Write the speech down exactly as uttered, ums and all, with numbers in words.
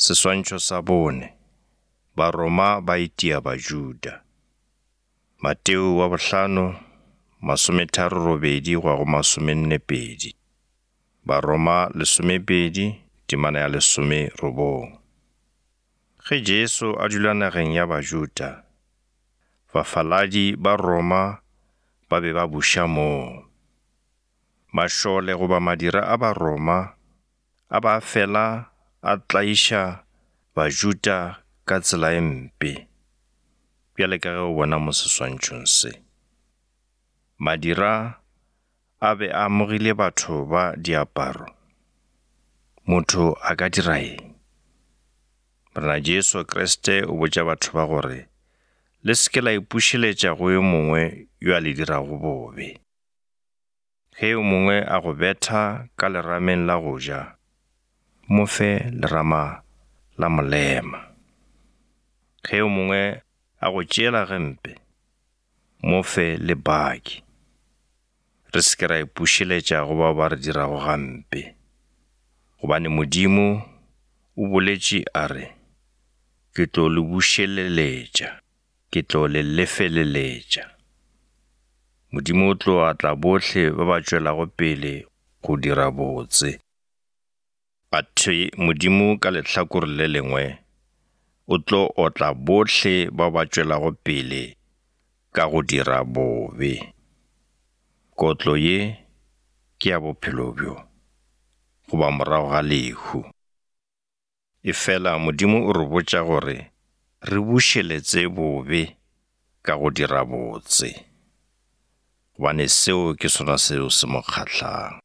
Seswantšho sa bone, Baroma ba itia Bajuda. Mateo wa bohlano, masometharo robedi go ya go masomenne pedi. Baroma lesomepedi, temana ya lesomerobong. Ge Jesu a dula nageng ya Bajuda, bafaladi ba Roma ba be ba buša moo. Mašole goba madira a Baroma a ba fela a tlaiša Bajuda ka tsela e mpe, bjale ka ge o bona mo seswantšhong se. Madira a be a amogile batho ba diaparo. Motho a ka dira eng? Morena Jesu Kriste o botša batho ba gore le se ke la ipušeletša go yo mongwe yo a le dirago bobe. Ge yo mongwe a go betha ka lerameng la go ja, mo fe lerama la molema. Ge yo mongwe a go tšeela gempe, mo fe le baki. Re se ke ra ipušeletša go bao ba re dirago gampe, gobane Modimo o boletše a re, ke tlo le bušeleletša, ke tlo le lefeleletša. Modimo o tlo atla bohle ba ba tšwelago pele go dira botse. Athe Modimo ka lehlakore le lengwe o tlo otla bohle bao ba tšwelago pele ka go dira bobe. Kotlo ye ke ya bophelo bjo, goba morago ga lehu. Efela Modimo o re botša gore re bušeletše bobe ka go dira botse, gobane seo ke sona seo se mo kgahlang.